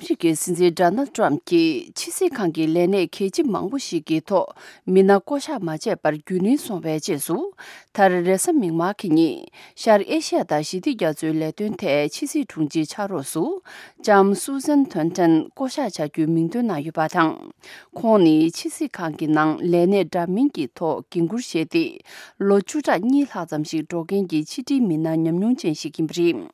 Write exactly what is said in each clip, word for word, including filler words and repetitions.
ཨ་མི་རི་ཀའི་སྲིད་འཛིན་ཌོ་ནལ་ཏྲམ་གྱིས་ཕྱི་སྲིད་ཁང་གི་ལས་གནས་གལ་ཆེ་མང་པོ་ཞིག་གི་ཐོག་མི་སྣ་བསྐོ་གཞག་མ་བྱས་པར་རྒྱུན་རིང་སོང་བའི་རྗེས་སུ། མཐར་རེས་གཟའ་མིག་དམར་གྱི་ཉིན་ཤར་ཨེ་ཤ་ཡ་དང་ཞི་བདེ་རྒྱ་མཚོའི་ལས་དོན་ཐད་ཕྱི་སྲིད་དྲུང་ཆེའི་ཕྱག་རོགས་སུ་ལྕམ་སུ་ཟན་ཐོན་ཊན་བསྐོ་གཞག་བྱ་རྒྱུའི་མིང་འདོན་གནང་ཡོད་པ་དང་། ཁོང་ནི་ཕྱི་སྲིད་ཁང་གི་ནང་ལས་གནས་འདྲ་མིན་གྱི་ཐོག་འགན་འཁུར་བཞེས་ཏེ། ལོ་བཅུ་ཕྲག་གཉིས་ལྷག་ཙམ་ཞིག་འགྲོ་མཁན་གྱི་ཕྱི་དྲིལ་མི་སྣ་ཉམས་མྱོང་ཅན་ཞིག་ཡིན་པ་རེད།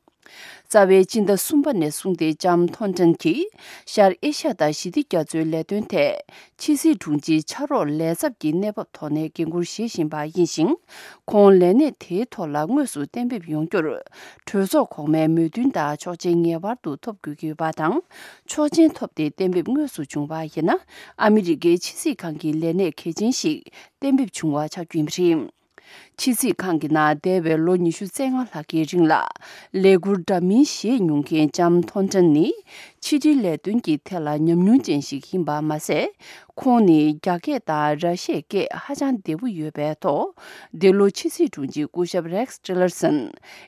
རྩ་བའི་སྤྱི་ཟླ་གསུམ་པ་ནས་བཟུང་སྟེ་ལྕམ་ཐོན་ཊན་གྱིས་ཤར་ཨེ་ཤ་ཡ་དང་ཞི་བདེ་རྒྱ་མཚོའི་ལས་དོན་ཐད་ཕྱི་སྲིད་དྲུང་ཆེའི་ཕྱག་རོགས་ལས་ཚབ་ཀྱི་གནས་བབ་ཐོག་ནས་འགན་འཁུར་བཞེས་བཞིན་པ་ཡིན་ཞིང་། ཁོང་ལས་གནས་དེའི་ཐོག་ལ་དངོས་སུ་གཏན་འབེབས་ཡོང་རྒྱུར། གྲོས་ཚོགས་གོང་མའི་མོས་མཐུན་དང་ཆོག་མཆན་ངེས་པར་དུ་ཐོབ་དགོས་ཀྱི་ཡོད་པ་དང་། ཆོག་མཆན་ཐོབ་སྟེ་གཏན་འབེབས་དངོས་སུ་བྱུང་བ་ཡིན་ན། ཨ་མི་རི་ཀའི་ཕྱི་སྲིད་ཁང་གི་ལས་གནས་གལ་ཆེན་ཞིག་གཏན་འབེབས་བྱུང་བ་ཆགས་རྒྱུ་ཡིན་པ་རེད། ཕྱི་སྲིད་ཁང་གི་ནང་འདས་པའི་ལོ་ཉི་ཤུ་རྩ་ལྔ་ལྷག་གི་རིང་ལ་ལས་འཁུར་འདྲ་མིན་བཞེས་མྱོང་མཁན་ལྕམ་ཐོན་ཊན་ནི། ཕྱི་དྲིལ་ལས་དོན་གྱི་ཐད་ལ་ཉམས་མྱོང་ཅན་ཞིག་ཡིན་པ་མ་ཟད། ཁོང་ནི་རྒྱ་སྐད་དང་ར་ཤི་ཡའི་སྐད་ཧ་ཅང་བདེ་པོ་ཡོད་པའི་ཐོག་འདི་ལོ་ཕྱི་སྲིད་དྲུང་ཆེ་སྐུ་ཞབས་རེགས་ཊི་ལར་སན་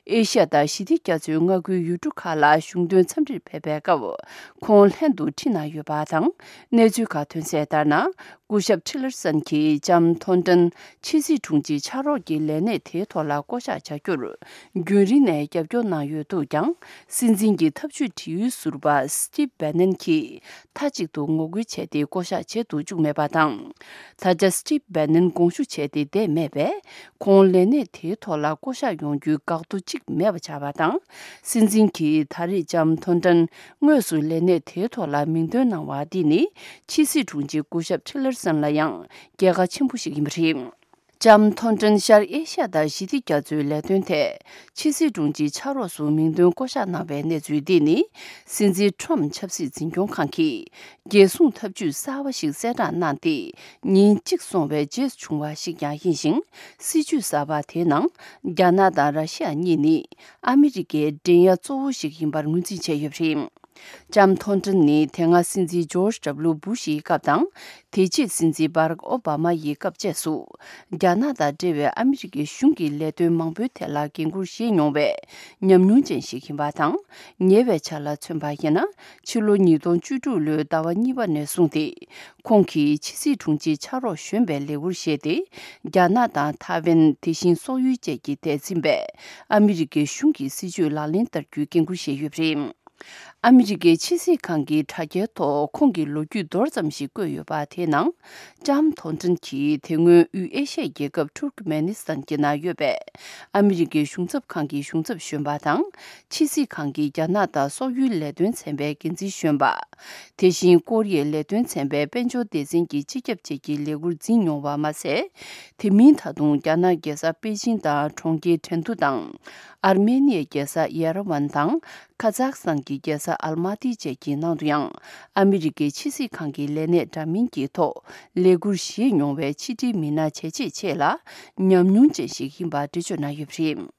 ཨེ་ཤ་ཡ་དང་ཞི་བདེ་རྒྱ་མཚོའི་མངའ་ཁུལ་ཡུལ་གྲུ་ཁག་ལ་གཞུང་དོན་འཚམས་འདྲིར་ཕེབས་པའི་སྐབས་ཁོང་ལྷན་དུ་ཁྲིད་གནང་ཡོད་པ་དང་། གནས་ཚུལ་ཁག་ཐོན་གསལ་ལྟར་ན། སྐུ་ཞབས་ཊི་ལར་སན་གྱིས་ལྕམ་ཐོན་ཊན་ཕྱི་སྲིད་དྲུང་ཆེའི་ཕྱག་རོགས་ཀྱི་ལས་གནས་དེའི་ཐོག་ལ་བསྐོ་གཞག་བྱ་རྒྱུར་རྒྱུན་རིང་ནས་རྒྱབ་སྐྱོར་གནང་ཡོད་འདུག་ཀྱང་། སྲིད་འཛིན་གྱི་ཐབས་ཇུས་དྲི་ཡུལ་ཟུར་པ་སི་ཊིབ་བྷེ་ནན་གྱིས་མཐའ་གཅིག་ཏུ་ངོ་རྒོལ་བྱས་ཏེ་བསྐོ་གཞག་བྱེད་དུ་བཅུག་མེད་པ་དང་། ད་ཆ་སི་ཊིབ་བྷེ་ནན་དགོངས་ཞུ་བྱས་ཏེ་བསྡད་མེད་པས། ཁོང་ལས་གནས་དེའི་ཐོག་ལ་བསྐོ་གཞག་ཡོང་རྒྱུའི་འགག་རྡོ་གཅིག་མེད་པ་ཆགས་པ་དང་། སྲིད་འཛིན་གྱིས་ད་རེས་ལྕམ་ཐོན་ཊན་དངོས་སུ་ལས་གནས་དེའི་ཐོག་ལ་མིང་འདོན་གནང་བ་འདི་ནི། ཕྱི་སྲིད་དྲུང་ཆེ་སྐུ་ཞབས་ཊི་ལར་སན་ལ་ཡང་རྒྱལ་ཁ་ཆེན་པོ་ཞིག་ཡིན་པ་རེད། ལྕམ་ཐོན་ཊན་ཤར་ཨེ་ཤ་ཡ་དང་ཞི་བདེ་རྒྱ་མཚོའི་ལས་དོན་ཐད་ཕྱི་སྲིད་དྲུང་ཆེའི་ཕྱག་རོགས་སུ་མིང་འདོན་བསྐོ་གཞག་གནང་བའི་གནས་ཚུལ་འདི་ནི། སྲིད་འཛིན་ཊྲམ་ཆབ་སྲིད་འཛིན་སྐྱོང་ཁང་གིས་རྒྱལ་སྲུང་ཐབས་ཇུས་གསར་བ་ཞིག་གསལ་བསྒྲགས་གནང་སྟེ། ཉིན་གཅིག་སོང་བའི་རྗེས་སུ་བྱུང་བ་ཞིག་ཀྱང་ཡིན་ཞིང་། སྲིད་ཇུས་གསར་པ་དེའི་ནང་རྒྱ་ནག་དང་ར་ཤི་ཡ་གཉིས་ནི་ཨ་མི་རི་ཀའི་འགྲན་ཡ་གཙོ་བོ་ཞིག་ཡིན་པར་ངོས་འཛིན་བྱས་ཡོད་པ་རེད། ལྕམ་ཐོན་ཊན་ནི་དེ་སྔ་སྲིད་འཛིན་ཇོརྗ་ཌབ་ལུ་བུ་ཤ་ཡི་སྐབས་དང་། དེ་རྗེས་སྲིད་འཛིན་བྷ་རག་ཨོ་བྷ་མ་ཡི་སྐབས་བཅས་སུ། རྒྱ་ནག་དང་འབྲེལ་བའི་ཨ་མི་རི་ཀའི་གཞུང་གི་ལས་དོན་མང་པོའི་ཐད་ལ་འགན་འཁུར་བཞེས་མྱོང་བའི་ཉམས་མྱོང་ཅན་ཞིག་ཡིན་པ་དང་། ཉེ་བའི་ཆར་ལ་མཚོན་པ་ཡིན་ན། ཕྱི་ལོ་ཉིས་སྟོང་བཅུ་དྲུག་ལོའི་ཟླ་བ་གཉིས་པ་ནས་བཟུང་སྟེ། ཁོང་གིས་ཕྱི་སྲིད་དྲུང་ཆེའི་ཕྱག་རོགས་གཞོན་པའི་ལས་འཁུར་བཞེས་ཏེ། རྒྱ་ནག་དང་ཐའེ་ཝན། དེ་བཞིན་སོག་ཡུལ་བཅས་ཀྱི་ཐད་འཛིན་པའི་ཨ་མི་རི་ཀའི་གཞུང་གི་སྲིད་ཇུས་ལག་ལེན་བསྟར་རྒྱུའི་འགན་འཁུར་བཞེས་ཡོད་པ་རེད། ཨ་མི་རི་ཀའི་ཕྱི་སྲིད་ཁང་གི་དྲ་རྒྱའི་ཐོག་ཁོང་གི་ལོ་རྒྱུས་མདོར་ཙམ་ཞིག་བཀོད་ཡོད་པ་དེའི་ནང་། ལྕམ་ཐོན་ཊན་གྱིས་དེ་སྔོན་དབུས་ཨེ་ཤ་ཡའི་རྒྱལ་ཁབ་ཐུར་ཀ་མེ་ནི་སི་ཐན་གྱི་ནང་ཡོད་པའི་ཨ་མི་རི་ཀའི་གཞུང་ཚབ་ཁང་གི་གཞུང་ཚབ་གཞོན་པ་དང་། ཕྱི་སྲིད་ཁང་གི་རྒྱ་ནག་དང་སོག་ཡུལ་ལས་དོན་ཚན་པའི་འགན་འཛིན་གཞོན་པ། དེ་བཞིན་ཀོ་རི་ཡའི་ལས་དོན་ཚན་པའི་དཔལ་འབྱོར་སྡེ་ཚན་གྱི་སྤྱི་ཁྱབ་བཅས་ཀྱི་ལས་འཁུར་འཛིན་མྱོང་བ་མ་ཟད། དེ་མིན་ད་དུང་རྒྱ་ནག་རྒྱལ་ས་པེ་ཅིང་དང་གྲོང་ཁྱེར་ཁྲེང་ཏུ་དང་། ཨར་མེ་ནི་ཡའི་རྒྱལ་ས་ཡེ་ར་ཝན་དང་། ཁ་ཛག་སི་ཐན་གྱི་རྒྱལ་ས་ཨལ་མ་ཏི་བཅས་ཀྱི་ནང་དུ་ཡང་ཨ་མི་རི་ཀའི་ཕྱི་སྲིད་ཁང་གི་ལས་གནས་འདྲ་མིན་གྱི་ཐོག་ལས་འཁུར་བཞེས་མྱོང་བའི་ཕྱི་དྲིལ་མི་སྣ་བྱས་རྗེས་ཆེ་ལ་ཉམས་མྱོང་ཅན་ཞིག་ཡིན་པ་འགྲེལ་བརྗོད་གནང་ཡོད་པ་རེད།